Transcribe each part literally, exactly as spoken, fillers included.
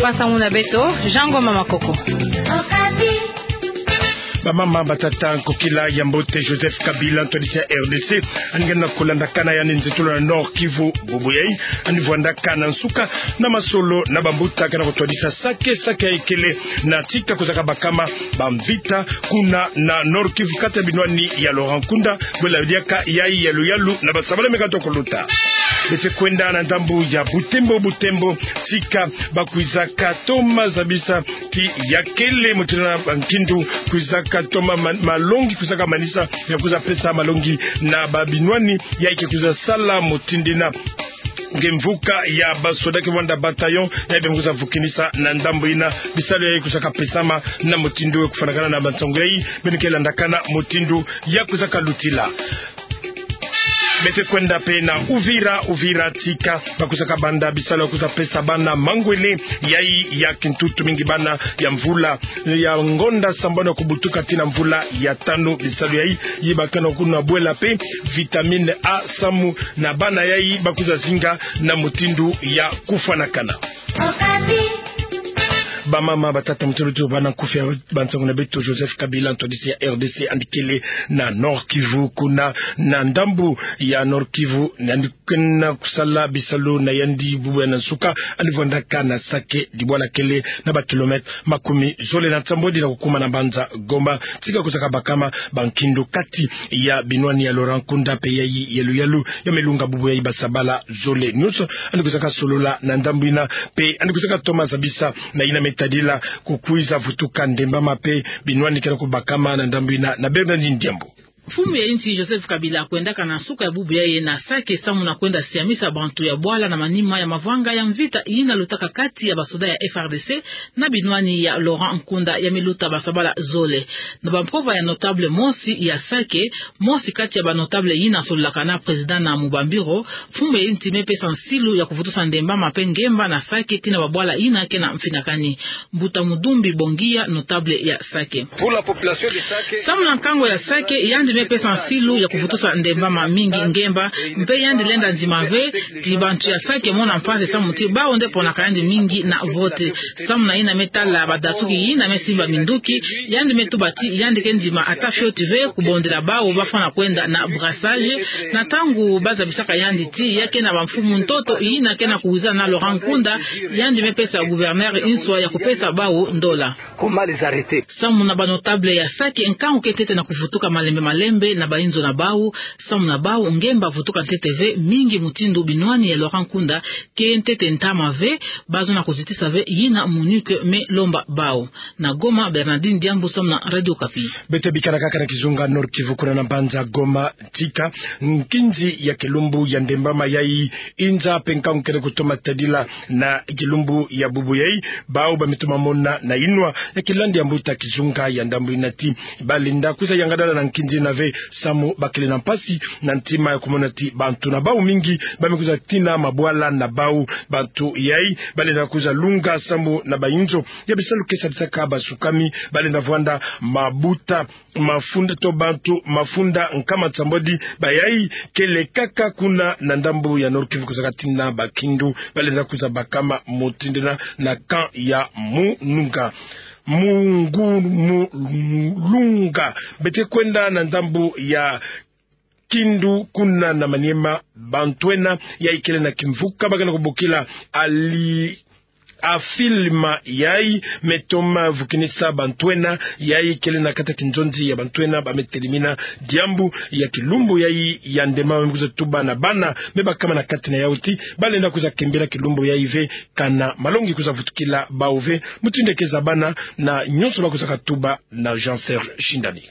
Masangu na beto, Jean Ngoma Makoko. Bamama, batata, nkokila ya mbote. Joseph Kabila, ntwadisi ya R D C, yandi kena kulandakana yandi nzitulu na Nord-Kivu bubu yayi. Yandi vwandaka na nsuka na masolo na bambuta kena kutwadisa sake, sake yayi kele na tika kuzaka bakama bamvita kuna na Nord-Kivu, kati ya binwani ya Laurent Nkunda, bwela diaka yayi ya luyalu na basabala meka tokoluta. Beto kwenda na ndambu ya Butembo, Butembo, tika bakwizaka toma zabisa ti ya kele mutindu na nkindu kwizaka toma ma-, malongi kwizaka manisa ya kwiza pesa malongi na babinwani yayi ke kwiza sala mutindu yina. Nge mvuka ya basoda ke vwanda bataillon yayi beno kwiza vukinisa na ndambu yina. Bisalu yayi kwizaka pesama na mutindu we. Kufwanakana na bansangu yayi, beno ke landakana mutindu ya kwizaka lutila. Beto kwenda mpe na Uvira, Uvira tika bakwizaka banda bisalu ya kwiza pesa bana mangwele yayi ya kintutu mingi, bana ya mvula ya ngonda sambanu kubutuka tii na mvula ya tanu. Bisalu yayi, yi bakana kuna bwela mpe vitamine A samu na bana yayi bakwiza zinga na mutindu ya kufwanakana. Bamama, batata, mutindu tubana nkufi ya bansangu na beto, Joseph Kabila, ntwadisi ya R D C, yandi kele na Nord-Kivu, kuna na ndambu ya Nord-Kivu, yandi kena kusala bisalu na yandi bubu yayi na nsuka. Yandi vwandaka na Sake, dibwala kele na ba kilomètre makumi zole na nsambwadi na kukuma na mbanza Goma, tika kwizaka bakama bankindu kati ya binwani ya Laurent Nkunda mpe yayi ya luyalu ya melunga bubu yayi basabala zole nyonso. Yandi kwizaka solola na ndambu yina mpe yandi kwizaka toma zabisa na yina me tadila kukwiza vutuka ndembama mpe binwani kena kubakama na ndambu yina na Bernardine Diambu. Mfumu ya insi Joseph Kabila kwendaka na nsuka ya bubu yayi na Sake samu na kwenda siamisa bantu ya bwala na manima ya mavanga ya mvita yina lutaka kati ya basoda ya F R D C na binwani ya Laurent Nkunda ya me luta basabala zole. Na bampova ya notable mosi ya Sake, mosi kati ya banotable yina sololaka na président na Mubambiro, mfumu ya insi me pesa nsilu ya kuvutusa ndembama mpe ngemba na Sake tii na babwala yina kena mfinakani. Mbuta Mudumbi Bongia, notable ya Sake. Samu na nkangu ya Sake, yandi me pesa nsilu ya kuvutusa ndembama mingi ngemba, mpe yandi lenda ndima ve ti bantu ya Sake mona mpasi samu ti bawu nde ponaka yandi mingi na vote. Samu na yina me tala badasuki yina me simba minduki, yandi me tuba ti yandi ke ndima ata fioti ve kubondela bawu bafwana kwenda na brassage. Na ntangu bazabisaka yandi ti ya ke na bamfumu ntoto yina kena kuwiza na Laurent Nkunda, yandi me pesa gouverneur nswa ya kupesa bawu ndola. Comment les arrêter? Samu na banotable ya Sake, nkangu ke ntete na kuvutuka malembe malembe na bainzo na bawu, samu na bawu ngemba vutuka ntete ve, mingi mutindu binwani ya Laurent Nkunda ke ntete ntama ve, bazono kuzitisa ve yina MONUC me lomba bawu. Na Goma, Bernardine Diambu samu na Radio Okapi. Beto bikana kaka na kizunga Nord-Kivu kuna na mbanza Goma, tika nkinzi ya kilumbu ya ndembama yayi inza mpe nkangu kele kutoma tadila na kilumbu ya bubu yayi, bawu ba me toma mona na inwa ya kilandi ya mbuta kizunga ya ndambu yina ti balenda kwiza yangadala na nkinzi yina ve, samu bakele na mpasi na ntima ya kumona ti bantu na bawu mingi ba me kwiza tina mabwala na bawu. Bantu yayi balenda kwiza lunga samu na bainzo ya bisalu ke sadisaka basukami, balenda vwanda mabuta mafunda to bantu mafunda nkama nsambwadi. Bayayi kele kaka kuna na ndambu ya Nord-Kivu kwiza katina bakindu balenda kwiza bakama mutindu yina na camp ya Mununga. Mungu, Mulunga. Beto kwenda na ndambu ya Kindu kuna na Maniema, bantu ena yayi kele na kimvuka ba kena kubokila Ali Afilima yayi me toma vukinisa bantu ena yayi kele na kati ya kinzonzi ya bantu ena ba me telimina diambu ya kilumbu yayi ya ndembama me kwiza tuba na bana me bakama na kati na yawu ti balenda kwiza kembela kilumbu yayi ve, kana malongi kwiza vutukila bawu ve, mutindu ya keza bana na nyonso ba kwiza katuba na Jean Serge Shindani.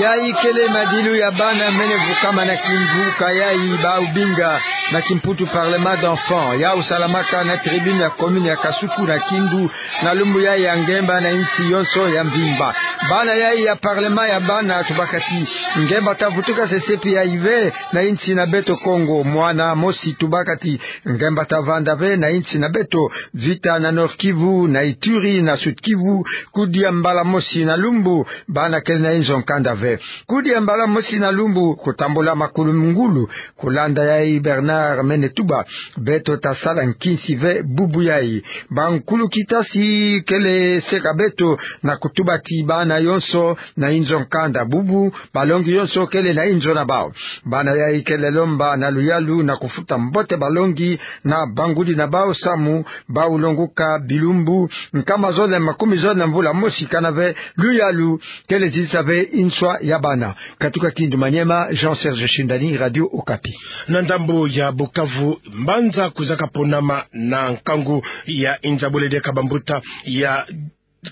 Yayi kele madilu ya bana mene vukama na kimvuka yayi bawu binga na kimputu parlement d'enfants. Yawu salamaka na tribune ya commune ya Kasuku na Kindu, na lumbu yayi ya ngemba na insi yonso ya mvimba. Bana yayi ya parlement ya bana tubaka ti ngemba ta vutuka sesepi yayi ve na insi na beto Kongo. Mwana mosi tubaka ti ngemba ta vanda ve na insi na beto. Vita na Nord-Kivu, na Ituri, na Sud-Kivu, kudia mbala mosi na lumbu, bana kele na inzo nkanda ve. Kudia mbala mosi na lumbu, kutambula makulu ngulu, kulanda yayi Bernard Mene tuba, beto ta sala nkinsi ve bubu yai. Bankulukitasi kele seka beto na kutuba ti bana yonso na inzo nkanda bubu, balongi yonso kele na inzo na bau. Bana yai kele lomba na luyalu na kufuta mbote balongi na bangudi na bau samu bau longoka bilumbu nkama zole makumi zole na mvula mosi kana ve luyalu kele zisa ve inswa ya bana. Katuka Kindu Maniema, Jean Serge Shindani, Radio Okapi. Na ndambu ya Bukavu, mbanza kuzaka ponama na nkangu ya inza bwele diaka bambuta ya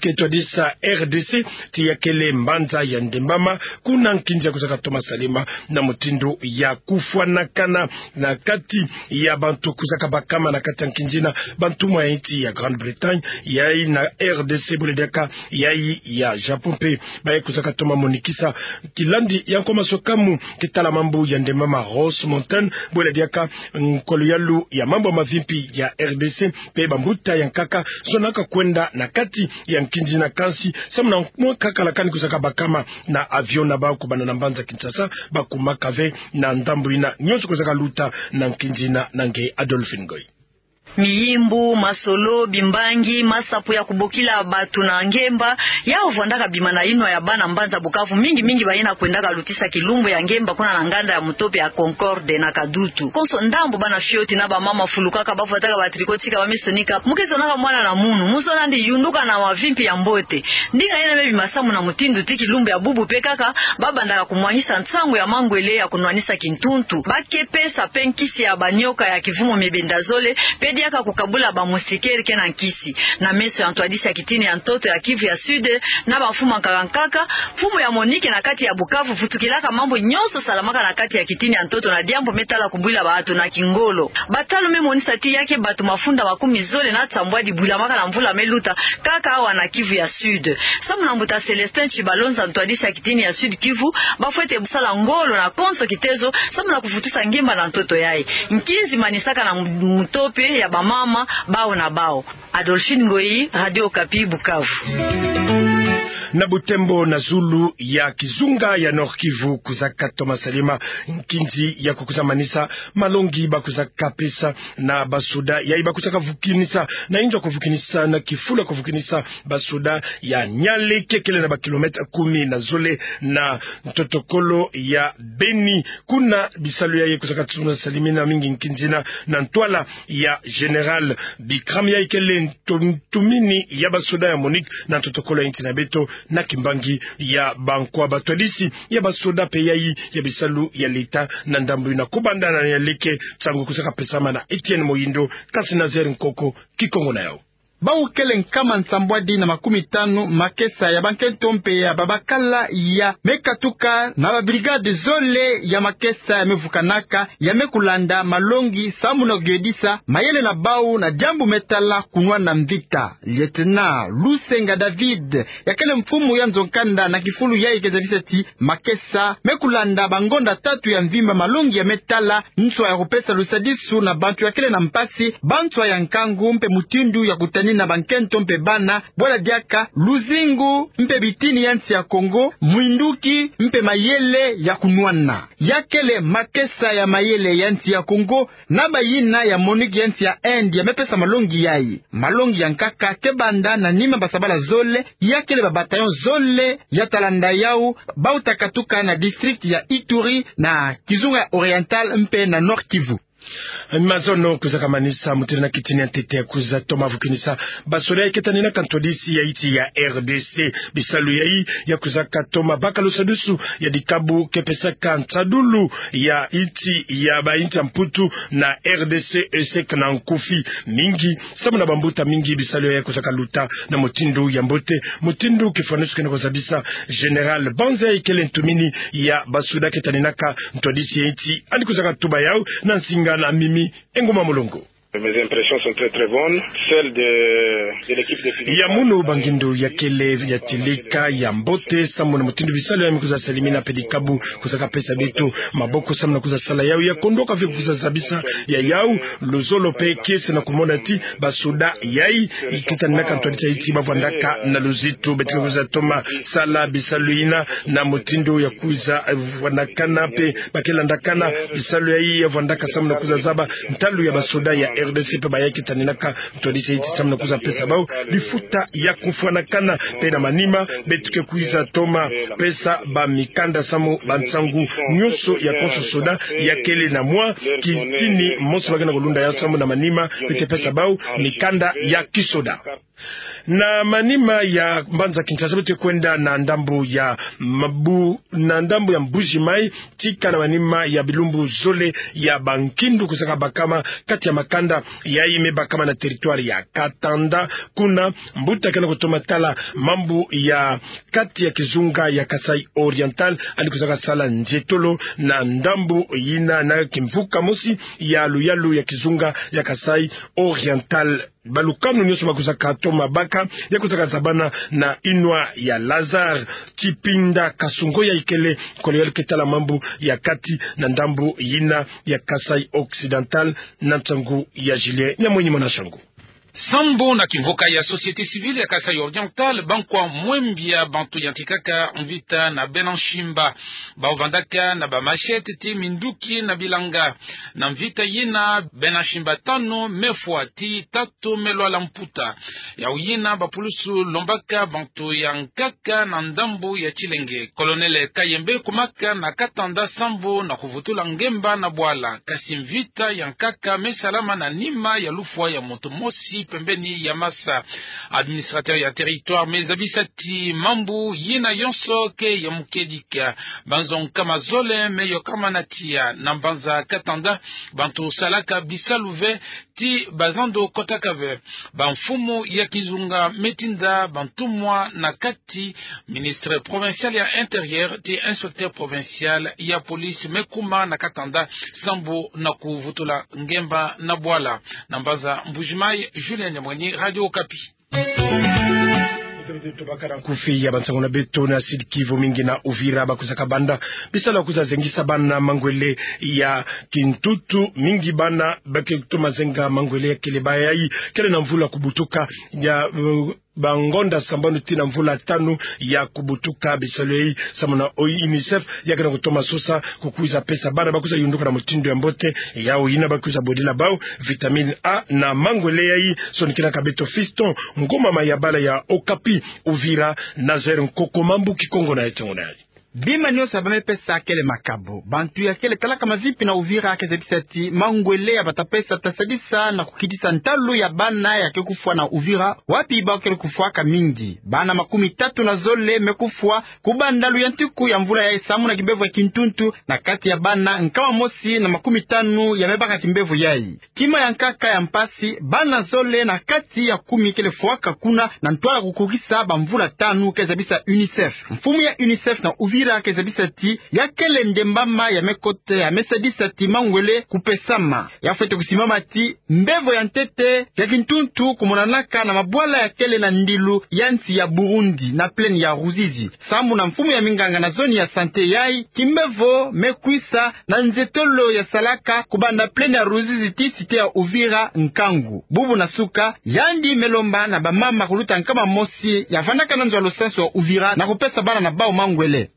ke twadisa R D C, ti ya kele mbanza ya ndembama, kuna nkinzi ya kuzaka toma salema na mutindu ya kufwanakana na kati ya bantu kuzaka bakama na kati ya nkinzi na bantumwa ya insi ya Grande-Bretagne, yai na R D C bwele diaka yai ya Japon mpe baye kuzaka toma monikisa kilandi ya nkwa masokamu ke tala mambu ya ndembama Ross Mountain, bwele diaka nkwa luyalu ya mambu ya mavimpi ya R D C, mpe bambuta ya nkaka zonaka kwenda na kati ya nkinzi na kansi, samu na mwa nkaka lakani kuzaka bakama na avion na bau kubanda na mbanza Kinshasa, bakumaka ve na ndambu ina. Nyonso kuzaka luta na nkinzi na nge Adolphine Ngoyi. Miyimbu, masolo, bimbangi, masapo ya kubokila bato na ngemba, yau vwandaka bima na inwa ya bana mbanza Bukavu, mingi mingi bayena kwendaka lutisa kilumbu ya ngemba kuna na nganda ya mutope ya Concorde na Kadutu. Konso ndambu bana fioti na bamama fulukaka, bavwataka ba tricot tika bamisonika, mu ke zonaka mwana na munu, mu zona ndi yunduka na mavimpi ya mbote. Ndinga yena me bima samu na mutindu ti kilumbu ya bubu mpe kaka, babandaka kumwangisa nsangu ya mangwele ya kunwanisa kintuntu. Ba ke pesa mpe nkisi ya banioka ya kivumu mebenda zole, mpe diaka kukabula bamusikeri ke na nkisi. Na meso ya ntwadisi ya kitini ya ntoto ya Kivu ya Sud, na bamfumu ya nkaka nkaka, mfumu ya MONUC na kati ya Bukavu vutukilaka mambu nyonso salamaka na kati ya kitini ya ntoto na diambu me tala kubwila bato na kingolo. Batalu me monisa ti ya ke bato mafunda makumi zole na nsambwadi bwilamaka na mvula me luta kaka awa na Kivu ya Sud. Samu na mbuta Célestin Tshibalonza, ntwadisi ya kitini ya Sud Kivu, bafwete sala ngolo na konso kitezo, samu na kuvutusa ngemba na ntoto yai. Nkinzi manisaka na mu-, mutope ya bamama, bau na bau. Adolphine Ngoyi, Radio Okapi, Bukavu. Na butembo na zulu ya kizunga ya Nord-Kivu kuzaka toma salema nkinzi ya kukuza manisa malongi bakuzaka pesa na basoda yai bakuzaka vukinisa na inzo ya kuvukinisa na kifulu ya kuvukinisa basoda ya Nialeke kele na bakilomètre kumi na zole na ntotokolo ya Beni. Kuna bisalu yai kuzaka toma salemina mingi nkinzi na, na ntwala ya Général Bikram yai kele nto-, ntumini ya basoda ya MONUC na ntotokolo ya insi na beto na kimbangi ya bankwa. Batwadisi ya basoda mpe yai ya bisalu ya leta na ndambu ina kubanda na Nialeke, nsangu kuzaka pesama na Etienne Moyindo, kasi Nazaire Nkoko, Kikongo na yau. Bau kele nkama nsambwadi na makumi tanu makesa ya bankento mpe ya babakala ya me katuka na babrigade zole ya makesa ya me vukanaka, ya me kulanda malongi samu na kuyedisa mayele na bau na diambu me tala kunwana mvita. Lieutenant Lusenga David, ya kele mfumu ya nzo-nkanda na kifulu yai ke zabisa ti makesa me kulanda bangonda tatu ya mvimba malongi ya me tala nswa ya kupesa lusadisu na bantu ya kele na mpasi, banswa ya nkangu mpe mutindu ya kutanina bankento mpe bana, bwala diaka luzingu mpe bitini ya nsi ya Kongo, mwinduki mpe mayele ya kunwana. Ya kele makesa ya mayele ya nsi ya Kongo na bayina ya MONUC ya nsi ya Inde ya me pesa malongi yai. Malongi ya nkaka ke banda na nima basabala zole, ya kele ba bataillon zole ya talanda yau, bauta katuka na district ya Ituri, na kizunga ya Oriental mpe na Nord-Kivu. Mazono kuzaka manisa mutindu na kitini ya ntete ya kuza toma vukinisa basoda yai ke taninaka ntwadisi ya insi ya R D C. Bisalu yai ya kuzaka toma baka lusadisu ya dikabu ke pesaka nsadulu ya insi ya ba insi ya Mputu na R D C, ESSEC na nkufi mingi. Samu na bambuta mingi bisalu yai kuzaka luta na mutindu ya mbote, mutindu kifwaneso kena kuzabisa Général Banza yai kele ntumini ya basoda ke taninaka ntwadisi ya insi. Yandi kuzaka tuba yau na nsinga na Mimi Engoma Mulongo. Mes impressions sont très, très bonnes. Celles de, de l'équipe de Philippe. Ya munu bangindo ya kele ya tilika ya mbote, samu na mutindu bisalu ya me kwiza salimina pe dikabu kwiza ka pesa beto maboko samu na kwiza sala yawu. Ya kondoka ve kwiza zabisa ya yawu luzolo pe kiese na kumona ti basoda yayi, ikitaninaka ntwadisa ti bavwandaka na luzitu. Beto ke kwiza toma sala bisalu yina na mutindu ya kwiza, eh, vwandakana pe ba ke landakana bisalu yayi ya vwandaka samu na kwiza zaba ntalu ya basoda ya R D C pe bayi kitaninaka ntwadisa ti samu na kwiza pesa bawu lifuta ya kufwanakana. Pe na manima, beto ke kwiza toma pesa bamikanda samu bansangu nyonso ya konso soda ya kele na mwa kitini monso ba ke na kulunda yawu samu na manima beto ke pesa bawu mikanda ya kisoda. Na manima ya mbanza Kinshasa, beto ke kwenda na ndambu ya Mabu-, na ndambu ya Mbuji-Mayi, tika na manima ya bilumbu zole ya bankindu kwiza ka bakama kati ya makanda yayi me bakama na territoire ya Katanda. Kuna mbuta ke na kutoma tala mambu ya kati ya kizunga ya Kasaï Oriental, yandi kwiza ka sala nzietolo na ndambu yina na kimvuka mosi ya luyalu ya kizunga ya Kasaï Oriental. Balukanu nyonso ba kwiza ka toma baka, ya kwiza ka zabana na inwa ya Lazare Tshipinda Kasungo, yayi kele nkolo ya luketala mambu ya kati na ndambu yina ya Kasaï Occidental, na nsangu ya Julien Nyamwenyi mwana Shangu. Sambu na kimvuka ya société civile ya Kasaï Oriental, bankwa mwembia bantu yantikaka mvita na Bena Nshimba. Bawu vandaka na ba machette ti minduki na bilanga. Na mvita yina, Bena Nshimba tanu me fwa, ti tatu me lwala mputa. Yawu yina bapulusu lombaka bantu ya nkaka na ndambu ya Tshilenge. Colonel Kayembe kumaka na Katanda sambu na kuvutula ngemba na bwala. Kasi mvita ya nkaka me salama na nima ya lufwa ya muntu mosi pembeni ya masa. Administrateur ya territoire me zabisa ti mambu yina yonso ke ya mukedika. Banzo nkama zole me yokama na tiya na mbanza Katanda. Bantu salaka bisalu ve ti bazando kotaka ve. Bamfumu ya kizunga me tinda bantumwa na kati, ministre provincial ya intérieur ti inspecteur provincial ya police me kuma na Katanda sambu na kuvutula ngemba na bwala. Na mbanza Mbuji-Mayi, Julien Nyamwenyi, Radio Okapi. Tubaka na nkufi ya bansangu na beto. Na Sud-Kivu, mingi na Uvira ba kwiza ka banda bisalu ya kwiza zengisa bana mangwele ya kintutu. Mingi bana ba ke toma zenga mangwele ya kele bayayi kele na mvula kubutuka ya, uh, bangonda sambanu tii na mvula tanu ya kubutuka. Bisalu yayi samu na UNICEF ya ke na kutoma sosa kukwiza pesa bana ba kwiza yunduka na mutindu ya mbote. Yawu yina ba kwiza bodila bawu vitamine A na mangwele yayi. Sonikinaka beto Fiston Ngoma, Mayabala ya Okapi, Uvira, Nazaire Nkoko, mambu Kikongo na Etongo na yayi. Bima nyonso ya ba me pesa kele makabu. Bantu ya kele talaka mavipi na Uvira ke zabisa ti mangwele ya ba ta pesa ta sadisa na kukitisa ntalu ya bana ya ke kufwa na Uvira, wapi bawu kele kufwaka mingi. Bana makumi tatu na zole me kufwa kubanda luyantiku ya mvula yayi samu na kimbevo ya kintuntu, na kati ya bana nkama mosi na makumi tanu ya me baka kimbevo yayi. Kima ya nkaka ya mpasi, bana zole na kati ya kumi kele fwaka kuna na ntwala kukokisa bamvula tanu, ke zabisa UNICEF. Mfumu ya UNICEF na Uvira ke zabisa ti ya kele nde mbama ya me kota ya me sadisa ti mangwele kupesama. Ya fwete kusimbama ti mbevo ya ntete ya kintuntu kumonanaka na mabwala ya kele na ndilu ya nsi ya Burundi na plaine ya Ruzizi. Sambu na mfumu ya minganga na zone ya santé yayi, kimbevo me kwisa na nzietolo ya salaka kubanda plaine ya Ruzizi tii cité ya Uvira nkangu. Bubu na suka, yandi me lomba na bamama kuluta nkama mosi ya vandaka na nzo ya lusansu ya Uvira na kupesa bana na bawu mangwele.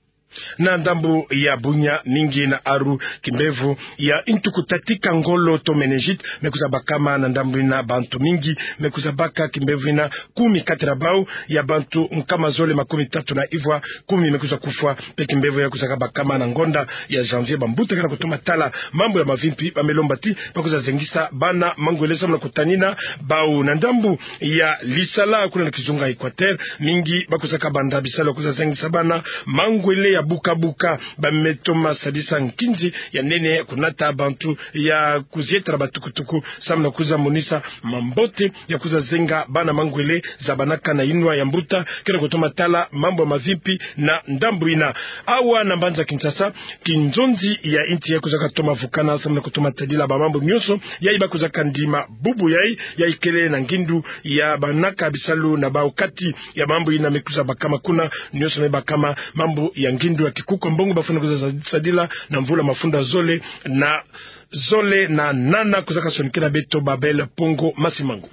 Na ndambu ya Bunia, mingi na aru kimbevo ya ntuku tatika ngolo to méningite me kwiza bakama. Na ndambu yina bantu mingi me kwiza baka kimbevo yina, kumi kati na bawu ya bantu nkama zole makumi tatu na ivwa, kumi me kwiza kufwa. Pe kimbevo ya kwiza ka bakama na ngonda ya janvier. Bambuta ke na kutoma tala mambu ya mavimpi ba me lomba ti ba kwiza zengisa bana mangwele samu na kutanina bawu. Na ndambu ya Lisala kuna na kizunga Equateur, mingi ba kwiza ka banda bisalu ya kwiza zengisa bana mangwele ya Buka-buka, bamê toma sadisa nkinzi ya nene kunata bantu ya kuzieta na batukutuku, samu na kuza monisa mambote ya kuza zenga bana mangwele za banaka na inwa ya mbuta, kena kutoma tala mambu ya mavimpi na ndambu ina. Awa na mbanza Kinshasa, kinzonzi ya insi ya kuza katoma vukana samu na kutoma tadila bamambu nyonso yayi ba kuza kandima bubu yayi, yayi kele na ngindu ya banaka bisalu na bau kati ya mambu ina me kuza bakama kuna, nyonso me bakama mambu ya ngindu ya kikuku ya mbongo bafweni kuza sadila na mvula mafunda zole na zole na nana. Kuza kasonikena beto Babel Pongo Masimangu.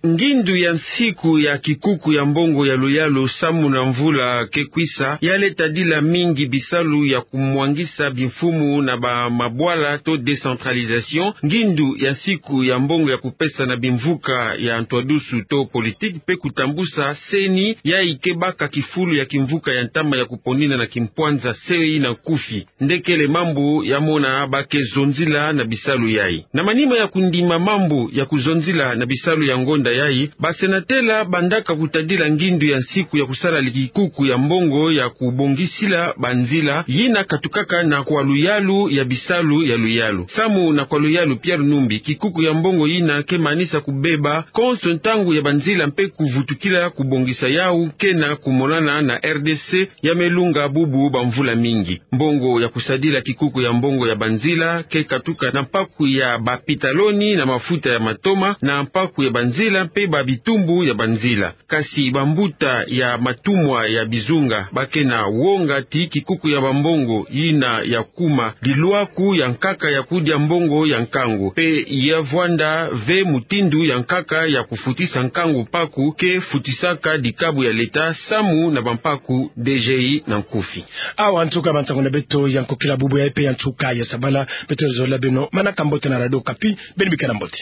Ngindu ya nsiku ya kikuku ya mbongo ya luyalu samu na mvula ke kwisa, yale tadila mingi bisalu ya kumwangisa bimfumu na bamabwala to décentralisation, ngindu ya nsiku ya mbongo ya kupesa na bimvuka ya ntwadusu to politique, pe kutambusa CENI, yayi ke baka kifulu ya kimvuka ya ntama ya kuponina na kimpwanza, CEI na nkufi. Nde kele mambu ya mona ba ke zonzila na bisalu yayi. Na manima ya kundima mambu ya kuzonzila na bisalu ya ngonda yayi, basenatela bandaka kutadila ngindu ya nsiku ya kusala kikuku ya mbongo ya kubongisila banzila yina katukaka na kwa luyalu ya bisalu ya luyalu. Samu na kwa luyalu Pierre Numbi, kikuku ya mbongo yina ke manisa kubeba konso ntangu ya banzila mpe kuvutukila kubongisa yawu, kena kumonana na RDC ya me lunga bubu bamvula mingi. Mbongo ya kusadila kikuku ya mbongo ya banzila ke katuka na mpaku ya bapitaloni na mafuta ya matoma, na mpaku ya banzila mpe babitumbu ya banzila. Kasi bambuta ya matumwa ya bizunga ba kena wonga ti kikuku ya bambongo yina ya kuma lilwaku ya nkaka ya kudia mbongo ya nkangu, mpe ya vwanda ve mutindu ya nkaka ya kufutisa nkangu mpaku ke futisaka dikabu ya leta samu na bampaku DGI na nkufi. Awa nsuka ya bansangu na beto ya nkokila bubu yayi mpe ya nsuka ya sabala. Beto zololo beno manaka mbote na Radio Okapi, beno bikana mbote.